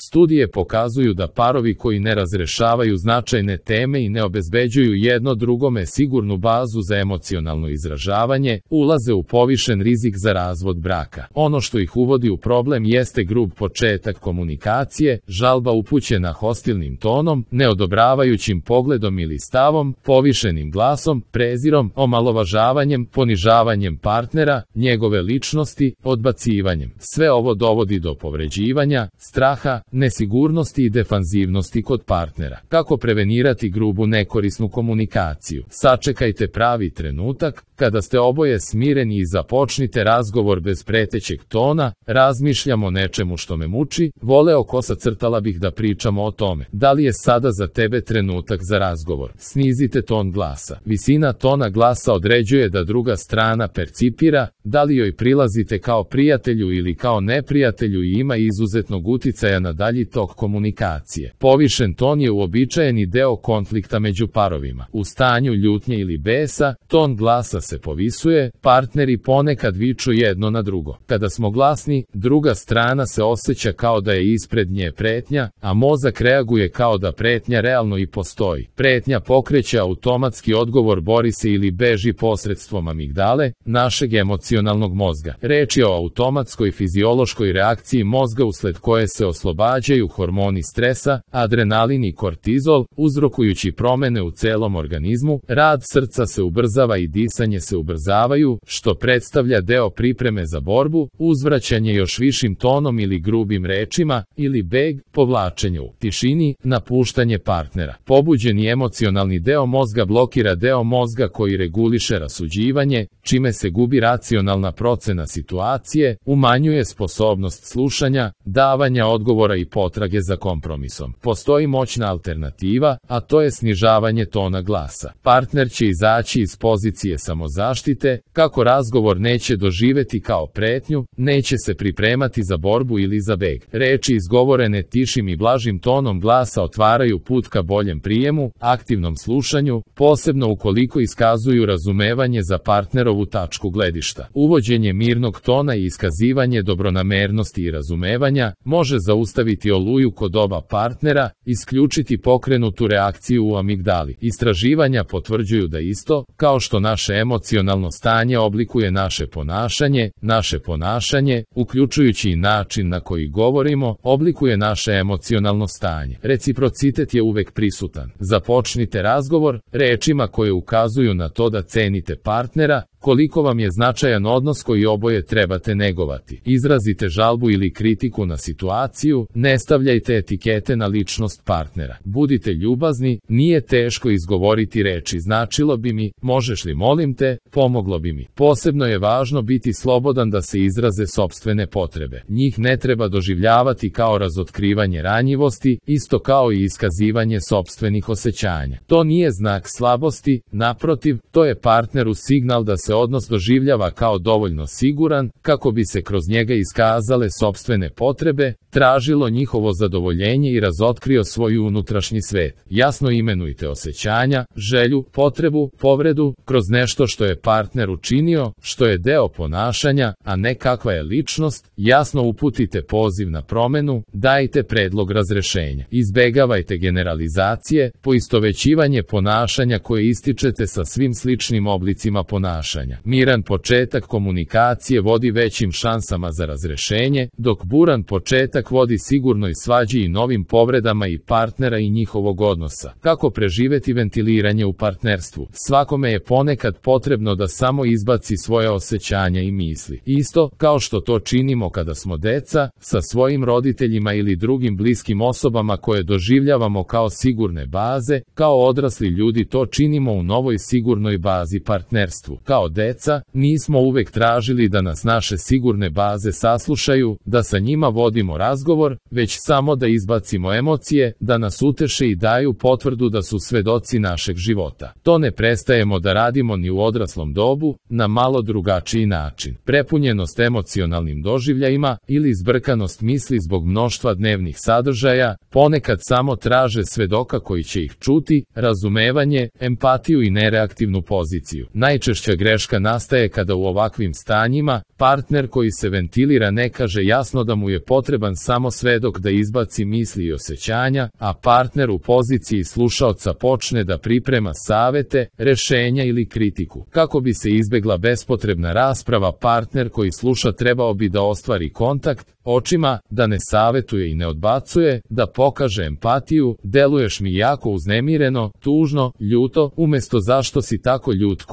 Studije pokazuju da parovi koji ne razrešavaju značajne teme i ne obezbeđuju jedno drugome sigurnu bazu za emocionalno izražavanje, ulaze u povišen rizik za razvod braka. Ono što ih uvodi u problem jeste grub početak komunikacije, žalba upućena hostilnim tonom, neodobravajućim pogledom ili stavom, povišenim glasom, prezirom, omalovažavanjem, ponižavanjem partnera, njegove ličnosti, odbacivanjem. Sve ovo dovodi do povređivanja, straha, nesigurnosti i defanzivnosti kod partnera. Kako prevenirati grubu nekorisnu komunikaciju? Sačekajte pravi trenutak, kada ste oboje smireni i započnite razgovor bez pretećeg tona. Razmišljam o nečemu što me muči, voleo kosa crtala bih da pričamo o tome. Da li je sada za tebe trenutak za razgovor? Snizite ton glasa. Visina tona glasa određuje da druga strana percipira, da li joj prilazite kao prijatelju ili kao neprijatelju i ima izuzetnog uticaja na dalji tok komunikacije. Povišen ton je uobičajeni deo konflikta među parovima. U stanju ljutnje ili besa, ton glasa se povisuje, partneri ponekad viču jedno na drugo. Kada smo glasni, druga strana se osjeća kao da je ispred nje pretnja, a mozak reaguje kao da pretnja realno i postoji. Pretnja pokreće automatski odgovor, bori se ili beži posredstvom amigdale, našeg emocionalnog mozga. Reč je o automatskoj fiziološkoj reakciji mozga usled koje se oslobađaju hormoni stresa, adrenalin i kortizol, uzrokujući promene u celom organizmu. Rad srca se ubrzava i disanje se ubrzavaju, što predstavlja deo pripreme za borbu, uzvraćanje još višim tonom ili grubim rečima, ili beg, povlačenje u tišini, napuštanje partnera. Pobuđeni emocionalni deo mozga blokira deo mozga koji reguliše rasuđivanje, čime se gubi racionalna procena situacije, umanjuje sposobnost slušanja, davanja odgovora i potrage za kompromisom. Postoji moćna alternativa, a to je snižavanje tona glasa. Partner će izaći iz pozicije samozaštite, kako razgovor neće doživeti kao pretnju, neće se pripremati za borbu ili za beg. Reči izgovorene tišim i blažim tonom glasa otvaraju put ka boljem prijemu, aktivnom slušanju, posebno ukoliko iskazuju razumevanje za partnerovu tačku gledišta. Uvođenje mirnog tona i iskazivanje dobronamernosti i razumevanja može zaustaviti oluju kod oba partnera, isključiti pokrenutu reakciju u amigdali. Istraživanja potvrđuju da isto, kao što naše emocionalno stanje oblikuje naše ponašanje, uključujući i način na koji govorimo, oblikuje naše emocionalno stanje. Reciprocitet je uvek prisutan. Započnite razgovor rečima koje ukazuju na to da cenite partnera, koliko vam je značajan odnos koji oboje trebate negovati. Izrazite žalbu ili kritiku na situaciju, ne stavljajte etikete na ličnost partnera. Budite ljubazni, nije teško izgovoriti reči značilo bi mi, možeš li molim te, pomoglo bi mi. Posebno je važno biti slobodan da se izraze sopstvene potrebe. Njih ne treba doživljavati kao razotkrivanje ranjivosti, isto kao i iskazivanje sopstvenih osjećanja. To nije znak slabosti, naprotiv, to je partneru signal da se odnos doživljava kao dovoljno siguran, kako bi se kroz njega iskazale sopstvene potrebe, tražilo njihovo zadovoljenje i razotkrio svoj unutrašnji svet. Jasno imenujte osjećanja, želju, potrebu, povredu, kroz nešto što je partner učinio, što je deo ponašanja, a ne kakva je ličnost. Jasno uputite poziv na promenu, dajte predlog razrešenja. Izbegavajte generalizacije, poistovećivanje ponašanja koje ističete sa svim sličnim oblicima ponašanja. Miran početak komunikacije vodi većim šansama za razrešenje, dok buran početak vodi sigurnoj svađi i novim povredama i partnera i njihovog odnosa. Kako preživeti ventiliranje u partnerstvu? Svakome je ponekad potrebno da samo izbaci svoje osjećanja i misli. Isto kao što to činimo kada smo deca, sa svojim roditeljima ili drugim bliskim osobama koje doživljavamo kao sigurne baze, kao odrasli ljudi to činimo u novoj sigurnoj bazi partnerstvu. Kao deca, nismo uvek tražili da nas naše sigurne baze saslušaju, da sa njima vodimo razgovor, već samo da izbacimo emocije, da nas uteše i daju potvrdu da su svedoci našeg života. To ne prestajemo da radimo ni u odraslom dobu, na malo drugačiji način. Prepunjenost emocionalnim doživljajima ili zbrkanost misli zbog mnoštva dnevnih sadržaja, ponekad samo traže svedoka koji će ih čuti, razumevanje, empatiju i nereaktivnu poziciju. Najčešća greška greška nastaje kada u ovakvim stanjima partner koji se ventilira ne kaže jasno da mu je potreban samo svedok da izbaci misli i osjećanja, a partner u poziciji slušaoca počne da priprema savete, rešenja ili kritiku. Kako bi se izbegla bespotrebna rasprava, partner koji sluša trebao bi da ostvari kontakt očima, da ne savetuje i ne odbacuje, da pokaže empatiju, deluješ mi jako uznemireno, tužno, ljuto, umesto zašto si tako ljut,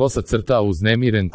uznemiren,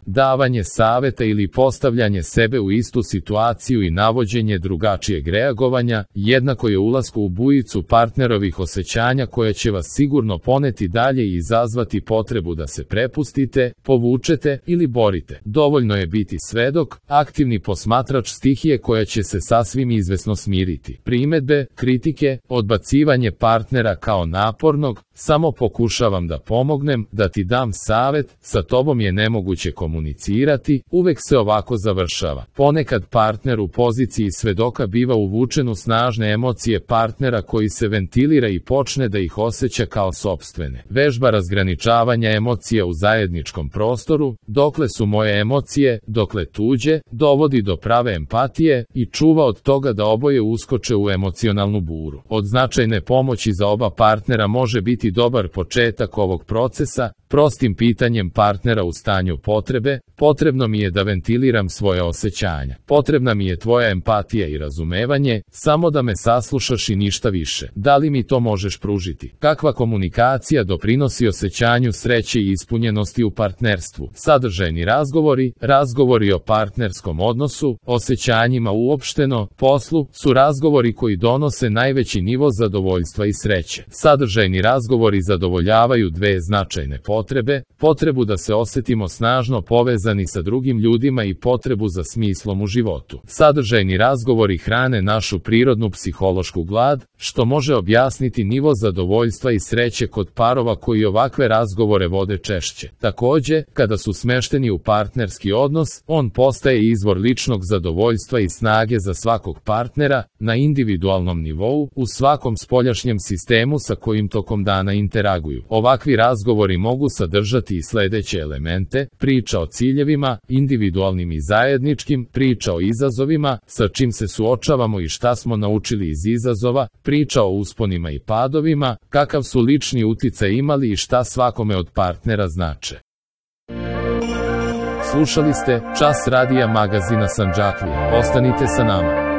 davanje saveta ili postavljanje sebe u istu situaciju i navođenje drugačijeg reagovanja, jednako je ulasku u bujicu partnerovih osjećanja koja će vas sigurno poneti dalje i izazvati potrebu da se prepustite, povučete ili borite. Dovoljno je biti svedok, aktivni posmatrač stihije koja će se sasvim izvesno smiriti. Primedbe, kritike, odbacivanje partnera kao napornog, samo pokušavam da pomognem, da ti dam savet, sa tobom je nemoguće komunicirati, uvek se ovako završava. Ponekad partner u poziciji svedoka biva uvučen u snažne emocije partnera koji se ventilira i počne da ih osjeća kao sopstvene. Vežba razgraničavanja emocija u zajedničkom prostoru, dokle su moje emocije, dokle tuđe, dovodi do prave empatije i čuva od toga da oboje uskoče u emocionalnu buru. Od značajne pomoći za oba partnera može biti dobar početak ovog procesa, prostim pitanjem partnera u stanju potrebe: potrebno mi je da ventiliram svoje osjećanja. Potrebna mi je tvoja empatija i razumevanje, samo da me saslušaš i ništa više. Da li mi to možeš pružiti? Kakva komunikacija doprinosi osjećanju sreće i ispunjenosti u partnerstvu? Sadržajni razgovori, razgovori o partnerskom odnosu, osjećanjima uopšteno, poslu, su razgovori koji donose najveći nivo zadovoljstva i sreće. Sadržajni razgovori zadovoljavaju dve značajne potrebe: potrebu da se osjetimo snažno povezani sa drugim ljudima i potrebu za smislom u životu. Sadržajni razgovori hrane našu prirodnu psihološku glad, što može objasniti nivo zadovoljstva i sreće kod parova koji ovakve razgovore vode češće. Takođe, kada su smešteni u partnerski odnos, on postaje izvor ličnog zadovoljstva i snage za svakog partnera, na individualnom nivou, u svakom spoljašnjem sistemu sa kojim tokom dana interaguju. Ovakvi razgovori mogu sadržati i sledeće elemente: priča o ciljevima, individualnim i zajedničkim, priča o izazovima, sa čim se suočavamo i šta smo naučili iz izazova, priča o usponima i padovima, kakav su lični uticaj imali i šta svakome od partnera znače. Slušali ste Čas radija magazina Sandžaklija. Ostanite sa nama.